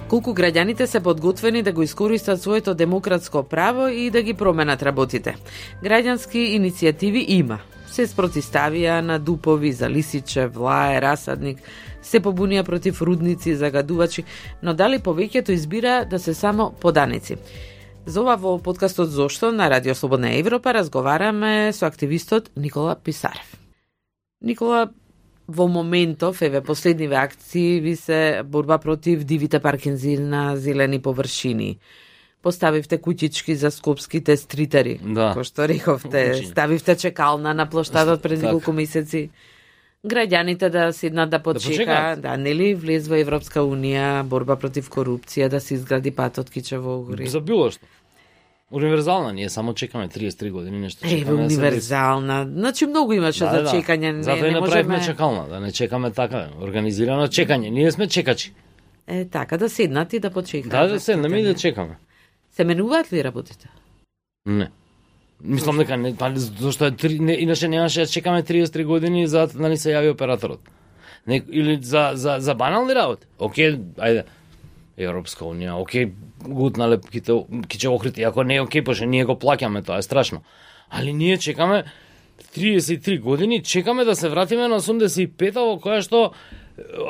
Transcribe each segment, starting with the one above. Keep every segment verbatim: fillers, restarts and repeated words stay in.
колку граѓаните се подготвени да го искористат своето демократско право и да ги променат работите. Граѓански иницијативи има. Се спротиставија на дупови за лисиче, влае, расадник, се побунија против рудници, загадувачи, но дали повеќето избира да се само поданици. За ова во подкастот Зошто на Радио Слободна Европа разговараме со активистот Никола Писарев. Никола, во моментов, еве, последниве акции ви се борба против дивите паркинзи на зелени површини. Поставивте куќички за скопските стритари, да. Кој што рековте, ставивте чекална на плоштадот пред неколку месеци. Граѓаните да седнат да почека, да, да, нели, влез во Европска унија, борба против корупција, да се изгради патот Кичево Огори. За било што. Универзална, ние само чекаме триесет и три години нешто чекаме. Еве, универзална. Да, значи многу имаше да, за да, чекање. Не, затоа и не направивме можеме... чекална, да не чекаме така, организирано чекање. Ние сме чекачи. Е, така, да седнат и да почекаат. Да, да седнаме и да чекаме. Се менуваат ли работите? Не. Мислам дека не, па зашто е три, не, иначе немаше да чекаме триесет и три години за да ни се јави операторот. Не, или за за за банални работи. Океј, ајде. Европска унија, океј, гутнале ките охрите, ако не е океј, пошто ние го плаќаме, тоа е страшно. Али ние чекаме триесет и три години, чекаме да се вратиме на осумдесет и пета во која што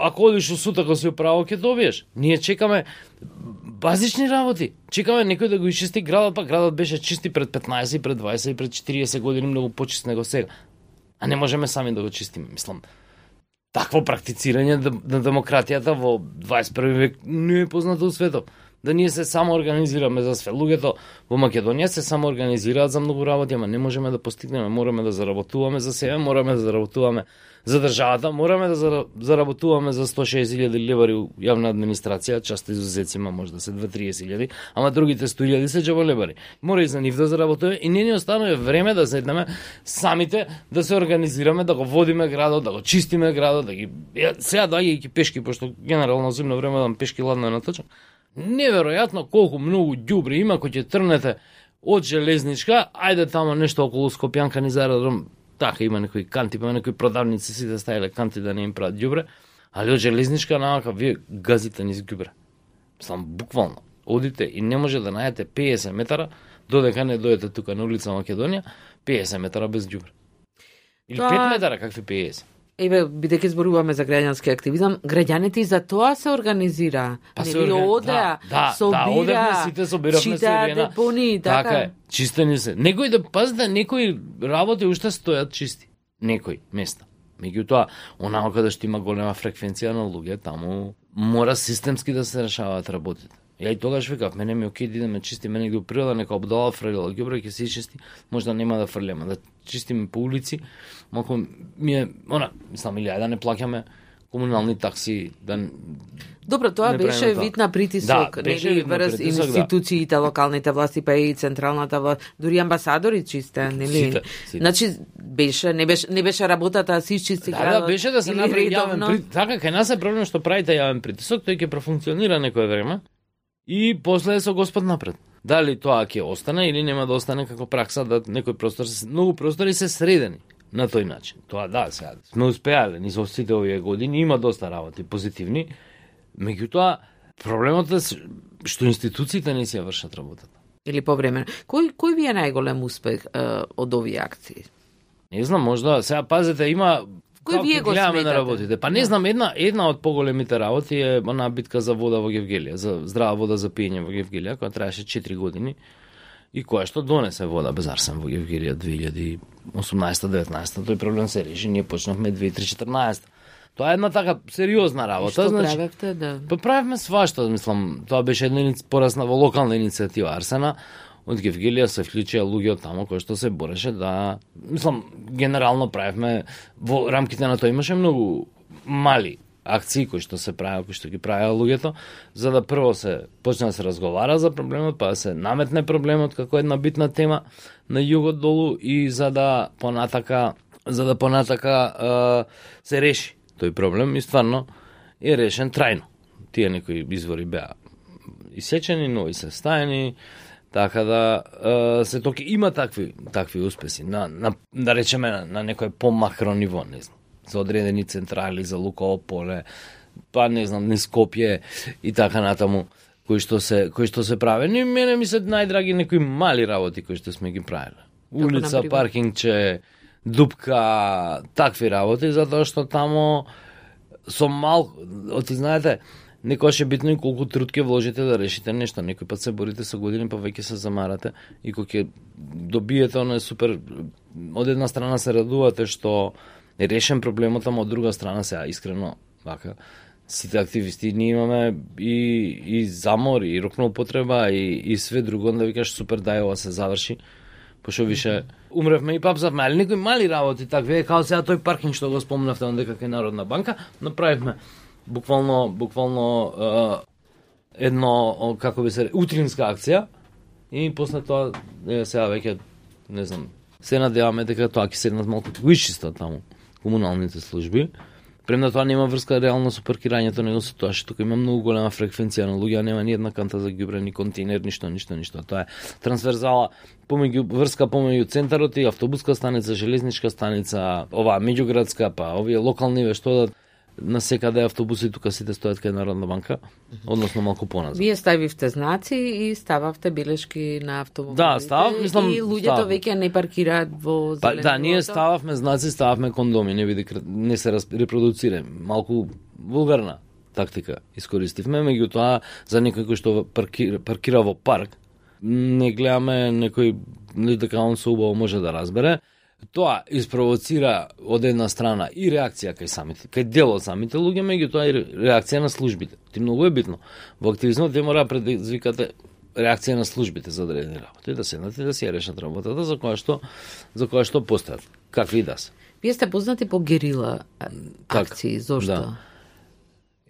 ако одиш у суд, ако си управо, ќе добиеш. Ние чекаме базични работи. Чекаме некој да го исчисти градот, па градот беше чисти пред петнаесет, пред дваесет, пред четириесет години, многу почист него сега. А не можеме сами да го чистиме, мислам. Такво практицирање на демократијата во дваесет и први век не е познато у светот. Да ние се само организираме за све. Луѓето во Македонија се само организираат за многу работи, ама не можеме да постигнеме. Мораме да заработуваме за себе, мораме да заработуваме за државата, мораме да заработуваме за сто и шеесет илјади левари у јавна администрација, част изузецима може да се две до триесет илјади, ама другите сто илјади се џаболебари. Мора и за нив да заработуваме и не ни останува време да седнеме самите да се организираме, да го водиме градот, да го чистиме градот, да ги сега доаѓајќи пешки, пошто генерално зимно време да пешки ладно е наточно. Неверојатно колку многу ѓубри има кој ќе трнете од железничка, ајде тамо нешто околу Скопјанка низ аеродром. Така има некои канти, па некои продавници си да ставиле канти да не им прават ѓубре, али од железничка навака вие газите низ ѓубре. Сам буквално одите и не може да најдете пеесет метара додека не дојдете тука на улица Македонија, пеесет метара без ѓубре. Или тоа... пет метара какви пеесет. Еве, бидејќи зборуваме за граѓански активизам, граѓаните и за тоа се организира. Па не се органи... одеа, да, собира, да, одевме, сите собиравме се ирена. Депони, така. Така е, чистени се. Некои да пазите, некои работи уште стојат чисти. Некои места. Меѓутоа, онака каде што има голема фреквенција на луѓе, таму мора системски да се решаваат работите. Ја и тогаш викав, мене ми окей да идеме чистиме негде у природа, нека обдала фрлила ѓубре ќе се чисти, можда нема да фрлеме, да чистиме по улици, малку ми е, она, мислам, или ајде да не плаќаме комунални такси, да. Добро, тоа беше вид на притисок, да, беше нели, вид на врз притисок, институциите, да. Локалните власти, па и централната власт, дури амбасадори чисте, нели? Сите, сите. Значи беше не беше не беше работата да се исчисти градот. Да, да, беше да се направи јавен притисок. Така кај нас е проблем што правите јавен притисок, тој ќе профункционира некое време. И после е со Господ напред. Дали тоа ќе остане или нема да остане како пракса да некој простор се многу простори се средени на тој начин. Тоа да, сега сме успеале низ сите овие години, има доста работи позитивни. Меѓутоа проблемот е што институциите не си ја вршат работата. Или повремено. Кој кој ви е најголем успех е, од овие акции? Не знам, можда сега пазете има кој вие го гледаме сметате на работите. Па не знам, една една од поголемите работи е она битка за вода во Гевгелија, за здрава вода за пиење во Гевгелија, која траеше четири години и која што донесе вода без арсен во Гевгелија две илјади и осумнаесета деветнаесета. Тој проблем се реши, ние почнавме две илјади и четрнаесета. Тоа е една така сериозна работа, што значи. правевте, да. Па правевме свашта, мислам, тоа беше една порасна во локална иницијатива Арсена. Од Гевгелија се вклучија луѓе од таму кои што се бореше да, мислам, генерално правевме во рамките на тоа имаше многу мали акции кои што се правеа, кои што ги правеа луѓето, за да прво се почне да се разговара за проблемот, па да се наметне проблемот како една битна тема на југот долу и за да понатака, за да понатака е, се реши тој проблем и стварно е решен трајно. Тие некои извори беа исечени, нови се стаени. Така да е, се токи има такви такви успеси на, на да речеме на, на некој помакро ниво, не знам. За одредени централи, за Луково поле, па не знам, низ Скопје и така натаму, кои што се кои што се правени, мене ми се најдраги некои мали работи кои што сме ги правеле. Улица, паркингче, дупка, такви работи, затоа што тамо со малку, оти знаете, некојаш е битно и колку труд ќе вложите да решите нешто. Некој пат се борите со години, па веќе се замарате и кога ќе добиете оно е супер. Од една страна се радувате што е решен проблемот, ама од друга страна се искрено вака. Сите активисти ние имаме и и замор, и рокна употреба, и и све друго, да викаш супер дај ова се заврши. Пошто више умревме и папзавме, али некои мали работи такви, као сега тој паркинг што го спомнавте онде како е Народна банка, направивме буквално буквално е, едно, како би се, утринска акција и после тоа е, сега веќе не знам, се надеваме дека тоа ќе седнат малку поишчисто таму комуналните служби. Премда тоа нема врска реално со паркирањето, него со тоа што тука има многу голема фреквенција на луѓе, нема ни една канта за ѓубре, ни контейнер, ништо, ништо, ништо. Тоа е трансверзала помеѓу врска помеѓу центарот и автобуска станица, железничка станица, оваа меѓуградска, па овие локални ве што да на секаде автобуси тука сите стојат кај Народна банка, односно малку поназад. Вие ставивте знаци и стававте белешки на автомобилите. Да, став, мислам, и луѓето веќе не паркираат во зеленото. Па, да, ние стававме знаци, стававме кондоми, не биде не се репродуцира. Малку вулгарна тактика искористивме, меѓутоа за некој кој што паркира, паркира во парк, не гледаме некој дека он се убаво може да разбере. Тоа испровоцира од една страна и реакција кај самите, кај дел од самите луѓе, меѓутоа и реакција на службите. Ти многу е битно. Во активизмот ти мора предизвикате реакција на службите за одредени работи, да седнат и да си ја решат работата за која што за која што постојат, какви и да се. Вие сте познати по герила акции, зошто? Да.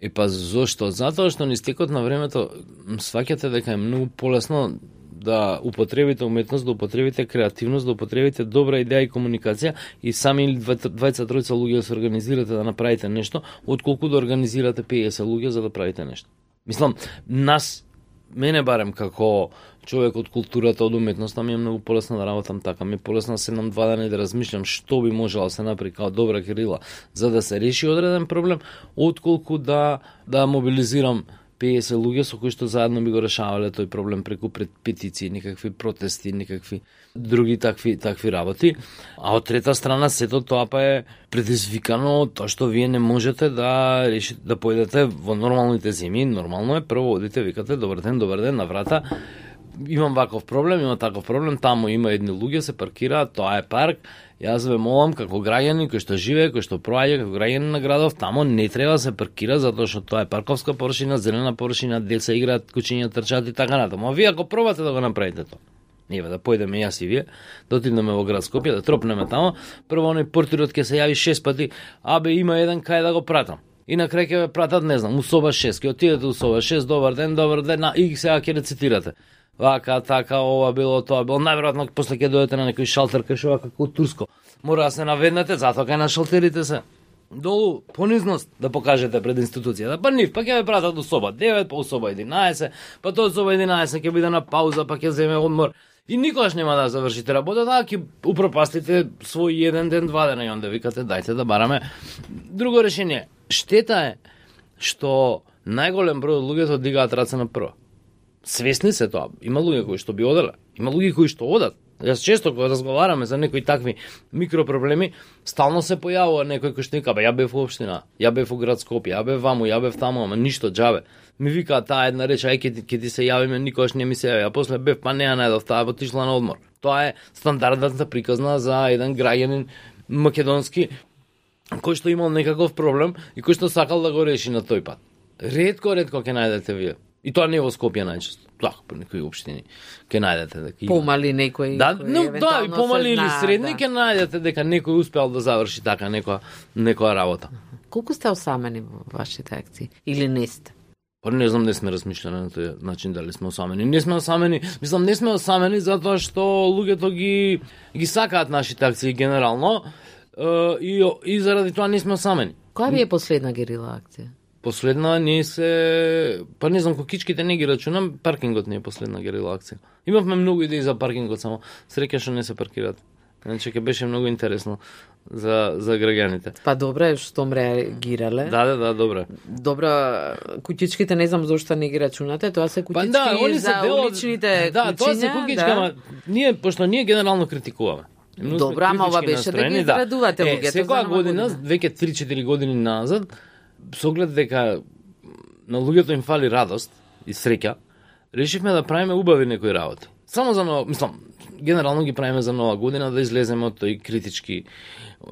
И па зошто? Затоа што низ текот на времето сваќате дека е многу полесно да употребите уметност, да употребите креативност, да употребите добра идеја и комуникација и сами или двајца тројца луѓе да се организирате да направите нешто, отколку да организирате петдесет луѓе за да правите нешто. Мислам, нас, мене барем како човек од културата, од уметноста, ми е многу полесно да работам така. Ми е полесно да седнам два дена и да размишлям што би можело да се направи како добра герила за да се реши одреден проблем, отколку да да мобилизирам петдесет луѓе со кои што заедно би го решавале тој проблем преку петиции, никакви протести, никакви други такви такви работи. А од трета страна сето тоа па е предизвикано од тоа што вие не можете да решите да појдете во нормалните зими. Нормално е прво одите, викате добар ден, добар ден на врата. Имам ваков проблем, има таков проблем, таму има едни луѓе се паркираат, тоа е парк. Јас ве молам како граѓани кој што живее, кој што проаѓа како граѓани на градов, тамо не треба да се паркира затоа што тоа е парковска површина, зелена површина, деца играат, кучиња трчаат и така натаму. А вие ако пробате да го направите тоа, ние да појдеме јас и вие, да отидеме во град Скопје, да тропнеме тамо, прво оној портирот ќе се јави шест пати, абе има еден кај да го пратам. И на крај ќе ве пратат, не знам, у соба шест, ќе отидете у соба шест, добар ден, добар ден, и сега ќе рецитирате. Вака, така, ова било, тоа било. Најверојатно после ќе дојдете на некој шалтер кај шо како турско. Мора да се наведнете, затоа кај на шалтерите се. Долу понизност да покажете пред институцијата. Па нив, па ќе ве пратат до соба девет, па у соба единаесет, па тоа соба единаесет ќе биде на пауза, па ќе земе одмор. И никогаш нема да завршите работата, ќе упропастите свој еден ден, два дена и онде викате дајте да бараме друго решение. Штета е што најголем број од луѓето дигаат раце на прво. Свесни се тоа. Има луѓе кои што би оделе, има луѓе кои што одат. Јас често кога разговараме за некои такви микропроблеми, стално се појавува некој кој што вика, бе, ја бев во општина, ја бев во град Скопје, ја бев ваму, ја бев таму, ама ништо џабе. Ми вика таа една реч, ај ќе ќе ти се јавиме, никогаш не ми се јави. А после бев, па не ја најдов, таа отишла на одмор. Тоа е стандардната приказна за еден граѓанин македонски кој што имал некаков проблем и кој што сакал да го реши на тој пат. Ретко, ретко ќе најдете вие. И тоа не во Скопје најчесто. Така, по некои општини ќе најдете дека има. Помали некои да, кои no, да, и помали или средни ќе да. најдете дека некој успеал да заврши така некоја некоја работа. Колку сте осамени во вашите акции или не сте? Па не знам, не сме размишлени на тој начин дали сме осамени. Не сме осамени, мислам не сме осамени затоа што луѓето ги ги сакаат нашите акции генерално и и заради тоа не сме осамени. Која ви е последна герила акција? Последна не се, па не знам, кокичките не ги рачунам, паркингот не е последна герила акција. Имавме многу идеи за паркингот, само среќа што не се паркираат. Значи ќе беше многу интересно за за граѓаните. Па добре, штом реагирале. Да, да, да, добре. Добро, куќичките не знам зошто не ги рачунате, тоа се куќички па, да, они за дел... уличните да, куќиња. Да, тоа се куќички, да. Ама ние пошто ние генерално критикуваме. Добро, ама ова беше да ги израдувате луѓето. Е, секоја година, веќе три-четири години назад, со оглед дека на луѓето им фали радост и среќа, решивме да правиме убави некои работи. Само за нова, мислам, генерално ги правиме за нова година да излеземе од тој критички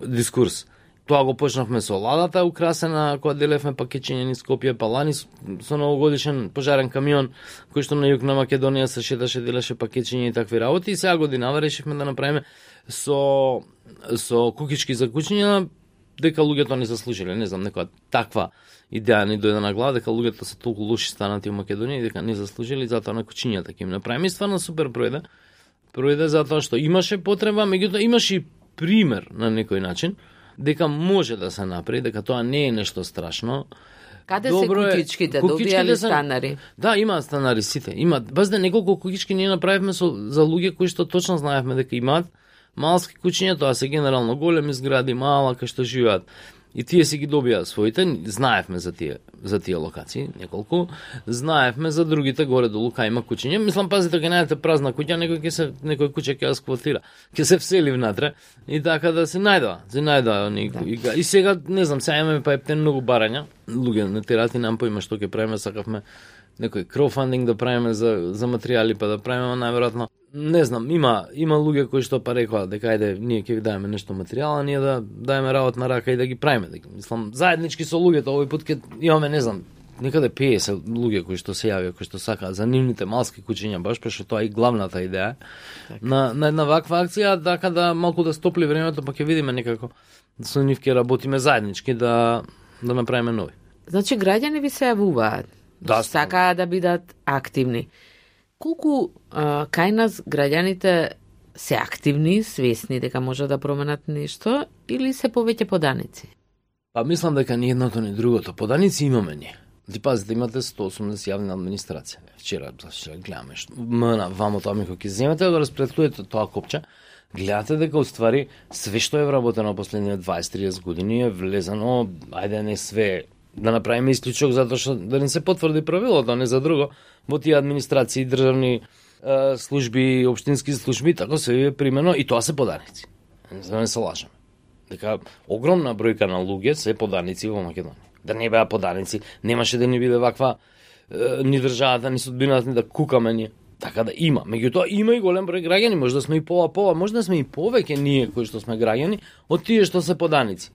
дискурс. Тоа го почнавме со ладата украсена, кога делевме пакетчиња низ Скопје, па лани со новогодишен пожарен камион, кој што на југ на Македонија се шеташе, делеше пакетчиња и такви работи. И сега годинава решивме да направиме со со кукички за кучиња, дека луѓето не заслужиле, не знам, некоја таква идеја ни дојде на глава, дека луѓето се толку лоши станати во Македонија и дека не заслужили, затоа на кучињата ќе им направиме. И стварно супер пројде. Пројде затоа што имаше потреба, меѓутоа имаше и пример на некој начин дека може да се направи, дека тоа не е нешто страшно. Каде добро се кукичките? Добијали станари? Да, има станари сите. Има баш да неколку кукички ние направивме со за луѓе кои што точно знаевме дека имаат малски кучиња, тоа се генерално големи згради, мала кај што живеат. И тие си ги добија своите, знаевме за тие за тие локации, неколку, знаевме за другите горе долу кај има кучиња. Мислам, пазите, кога најдете празна куќа, некој ќе се некој куќа ќе ја сквотира, ќе се всели внатре и така да се најдува, се најдува некој. Да. И, и сега не знам, сега имаме па ептен многу барања, луѓе на терати нам поима што ќе правиме, сакавме некој краудфандинг да правиме за за материјали, па да правиме најверојатно. Не знам, има има луѓе кои што па рекоа дека ајде ние ќе ви даваме нешто материјала, ние да даеме работна рака и да ги правиме. Дека, мислам, заеднички со луѓето овој пат ќе имаме, не знам, некаде петдесет луѓе кои што се јавија, кои што сакаат за нивните малски кучиња, баш пошто тоа е и главната идеја так. на на една ваква акција, така да малку да стопли времето, па ќе видиме некако со нив ќе работиме заеднички да да направиме нови. Значи граѓани ви се јавуваат. Да, сакаат да бидат активни. Колку а, кај нас граѓаните се активни, свесни дека може да променат нешто или се повеќе поданици? Па мислам дека ни едното ни другото. Поданици имаме ние. Ти пазите, имате сто осумдесет јавни администрација. Вчера, вчера гледаме што мна вамо тоа ми кога ќе земете да распретлуете тоа копче, гледате дека уствари све што е вработено последните дваесет-триесет години е влезано, ајде не све да направиме исклучок затоа што да не се потврди правилото, а не за друго, во тие администрации, државни е, служби, општински служби, така се е примено и тоа се поданици. За да не се лажеме. Дека огромна бројка на луѓе се поданици во Македонија. Да не беа поданици, немаше да ни биде ваква е, ни државата, ни судбината, ни да кукаме ние. Така да има. Меѓутоа има и голем број граѓани, може да сме и пола-пола, може да сме и повеќе ние кои што сме граѓани од тие што се поданици.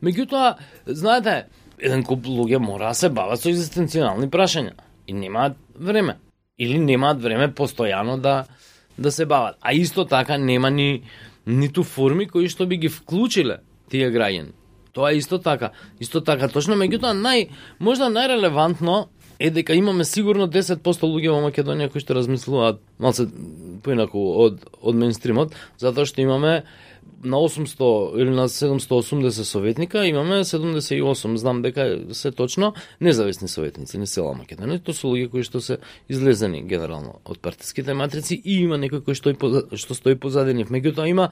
Меѓутоа, знаете, еден куп луѓе мора да се бават со екзистенцијални прашања и немаат време. Или немаат време постојано да да се бават. А исто така нема ни ниту форми кои што би ги вклучиле тие граѓани. Тоа е исто така. Исто така точно, меѓутоа нај можда најрелевантно е дека имаме сигурно десет проценти луѓе во Македонија кои што размислуваат малце поинаку од од мејнстримот, затоа што имаме на осумсто или на седумсто осумдесет советника, имаме седумдесет и осум, знам дека се точно независни советници на цела Македонија. Тоа се луѓе кои што се излезени генерално од партиските матрици и има некој кој што што стои позади нив. Меѓутоа има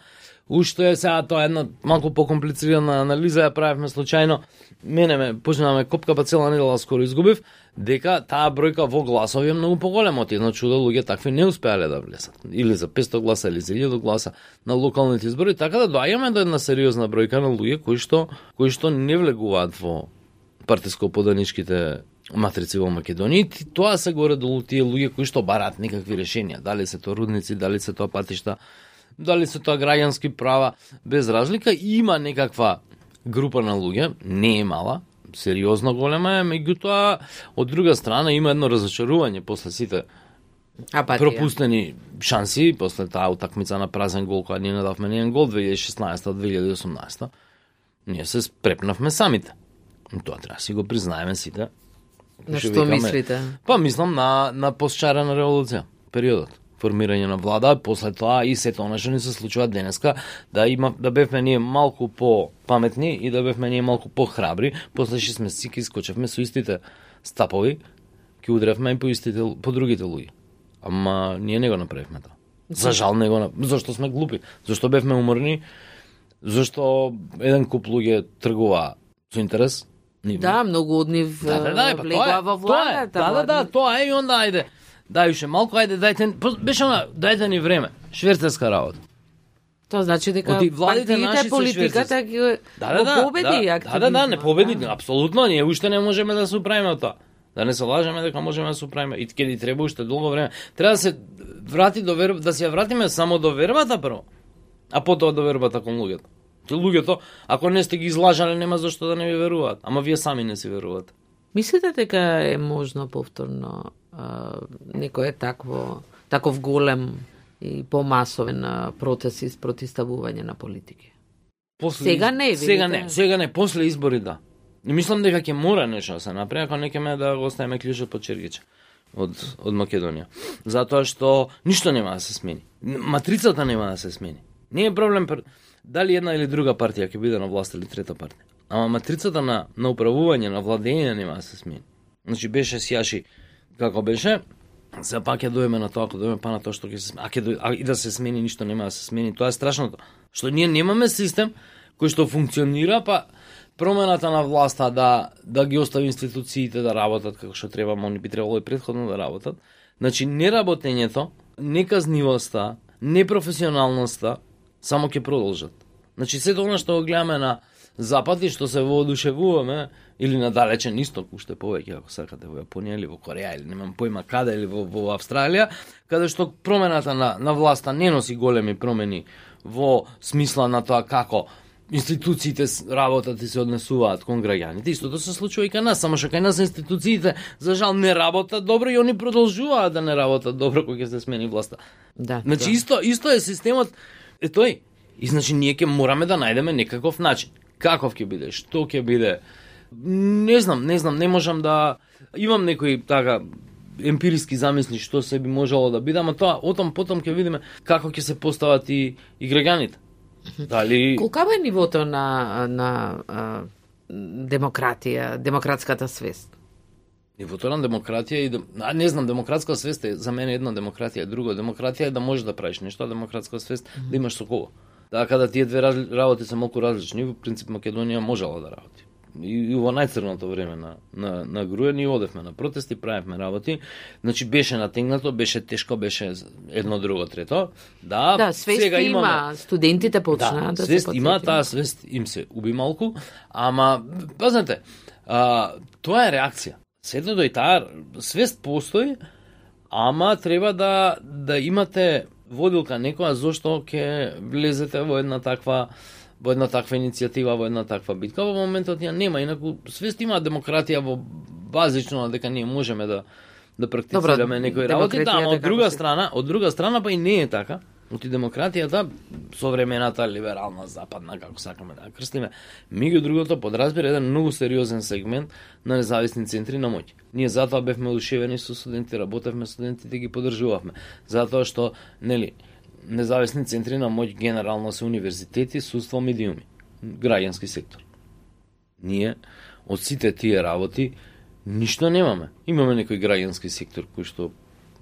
уште сега тоа е една малку покомплицирана анализа, ја правевме случајно. Мене ме почнаваме копка, па цела недела скоро изгубив, дека таа бројка во гласови е многу поголема од едно чудо, луѓе такви не успеале да влезат. Или за петсто гласа, или за илјаду гласа на локалните избори, така да доаѓаме до една сериозна бројка на луѓе кои што кои што не влегуваат во партиско-поданичките матрици во Македонија. И тоа се горе долу тие луѓе кои што бараат некакви решенија, дали се тоа рудници, дали се тоа патишта, дали се тоа граѓански права, без разлика. Има некаква група на луѓе, не е мала, сериозно голема е, меѓутоа од друга страна има едно разочарување после сите Апатија. пропустени шанси, после таа утакмица на празен гол, која ние надавме нијен гол две илјади и шеснаесета две илјади и осумнаесета. Ние се спрепнавме самите. Тоа треба си го признаеме сите. На што мислите? Па мислам на на постчарена револуција, периодот. Формирање на влада, после тоа и сето она што ни се случува денеска, да има да бевме ние малку по паметни и да бевме ние малку по храбри, после што сме сики скочевме со истите стапови, ќе удревме и по истите по другите луѓе. Ама ние не го направивме тоа. За жал не го, зашто сме глупи, зашто бевме уморни, зашто еден куп луѓе тргува со интерес. Нивни. Да, многу од нив да, да, да, влегува во владата. Да, да, да, тоа е и онда ајде. Дај уште малку, ајде дајте, беше она, дајте ни време, шверцерска работа. Тоа значи дека партиите, политиката ги да, да, да, победи да, активно. Да, да, да, не победи, да. Апсолутно, ние уште не можеме да се управиме од тоа. Да не се лажеме дека можеме да се управиме. И ќе ни треба уште долго време. Треба да се врати до верба, да се ја вратиме само до вербата прво, а потоа до вербата кон луѓето. Ти луѓето, ако не сте ги излажале, нема зашто да не ви веруваат. Ама вие сами не си верувате. Мислите дека е можно повторно а, некој такво, таков голем и помасовен протест и спротиставување на политики? После сега не, видите? Сега не, сега не, после избори да. И мислам дека ќе мора нешто да се направи, ако не ќе да го оставиме клjučот под чергиче од од Македонија. Затоа што ништо нема да се смени. Матрицата нема да се смени. Не е проблем дали една или друга партија ќе биде на власт или трета партија. Ама матрицата на на управување, на владење нема да се смени. Значи беше сјаши како беше, се пак ќе дојме на тоа, ако дојме па на тоа што ќе се смени, а ќе дој, а и да се смени ништо нема да се смени. Тоа е страшното. Што ние немаме систем кој што функционира, па промената на власта да да ги остави институциите да работат како што треба, они би требало и претходно да работат. Значи неработењето, неказнивоста, непрофесионалноста само ќе продолжат. Значи сето она што го гледаме на запад и што се воодушевуваме или на далечен исток, уште повеќе ако сакате во Јапонија или во Кореја или немам појма каде или во, во Австралија, каде што промената на на власта не носи големи промени во смисла на тоа како институциите работат и се однесуваат кон граѓаните. Истото се случува и кај нас, само што кај нас институциите за жал не работат добро и они продолжуваат да не работат добро кога ќе се смени власта. Да. Значи да. исто исто е системот е тој. И значи ние ќе мораме да најдеме некаков начин. Каков ќе биде, што ќе биде? Не знам, не знам, не можам да имам некои така емпириски замисли што се би можело да биде, ама тоа отам потом ќе видиме како ќе се постават и и граѓаните. Дали Колкава е нивото на на а, демократија, демократската свест? Нивото на демократија и дем... а, не знам, демократска свест е за мене една демократија, друго демократија е да можеш да правиш нешто, а демократска свест mm -hmm. да имаш со кого. Така да тие две работи се малку различни, во принцип Македонија можела да работи. И, и во најцрното време на на на Груја ние одевме на протести, правевме работи. Значи беше натегнато, беше тешко, беше едно друго трето. Да, да свест сега има, имаме... студентите почнаа да, да свест се има, таа свест им се уби малку, ама пазнете, а, тоа е реакција. Сето и таа свест постои, ама треба да да имате водилка некоја зошто ќе влезете во една таква во една таква иницијатива, во една таква битка. Во моментот ја нема, инаку свест има демократија во базично дека ние можеме да да практицираме некои работи, да, ама од друга страна, од друга страна па и не е така. Оти демократијата, современата либерална западна, како сакаме да ја крстиме, меѓу другото подразбира еден многу сериозен сегмент на независни центри на моќ. Ние затоа бевме одушевени со студенти, работевме студентите, ги поддржувавме. Затоа што, нели, независни центри на моќ генерално се универзитети, судство, медиуми, граѓански сектор. Ние од сите тие работи ништо немаме. Имаме некој граѓански сектор кој што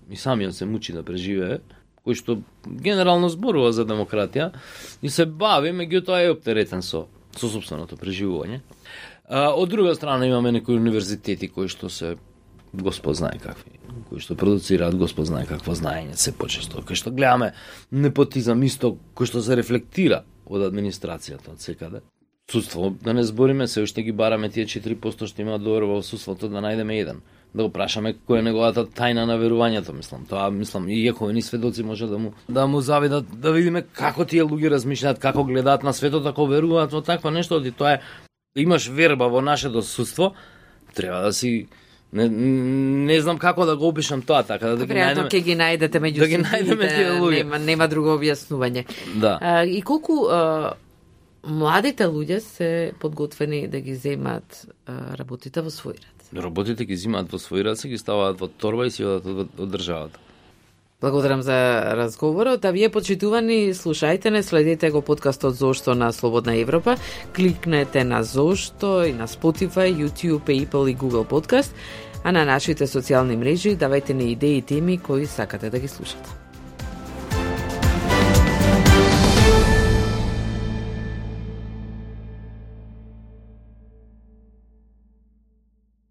и самиот се мучи да преживее, кој што генерално зборува за демократија и се бави, меѓутоа е оптеретен со со сопственото преживување. А, од друга страна имаме некои универзитети кои што се Господ знае какви, кои што продуцираат Господ знае какво знаење се почесто, кои што гледаме непотизам исто кој што се рефлектира од администрацијата од секаде. Судство, да не збориме, се уште ги бараме тие четири проценти што имаат доверба во судството да најдеме еден. Да го прашаме која е неговата тајна на верувањето, мислам. Тоа, мислам, и иако ни сведоци може да му да му завидат, да видиме како тие луѓе размишљаат, како гледаат на светот, ако веруваат во такво нешто, и тоа е имаш верба во нашето судство, треба да си не, не знам како да го опишам тоа, така да, да ги најдеме. Ќе ги најдете меѓу да ги најдеме тие луѓе. Нема нема друго објаснување. Да. А, и колку а, младите луѓе се подготвени да ги земат а, работите во свој ред? Работите ги земаат во свој ред, се ги ставаат во торба и си одат од, од државата. Благодарам за разговорот, а вие почитувани слушајте не, следете го подкастот Зошто на Слободна Европа, кликнете на Зошто и на Spotify, YouTube, Apple и Google Podcast, а на нашите социјални мрежи давајте ни идеи и теми кои сакате да ги слушате.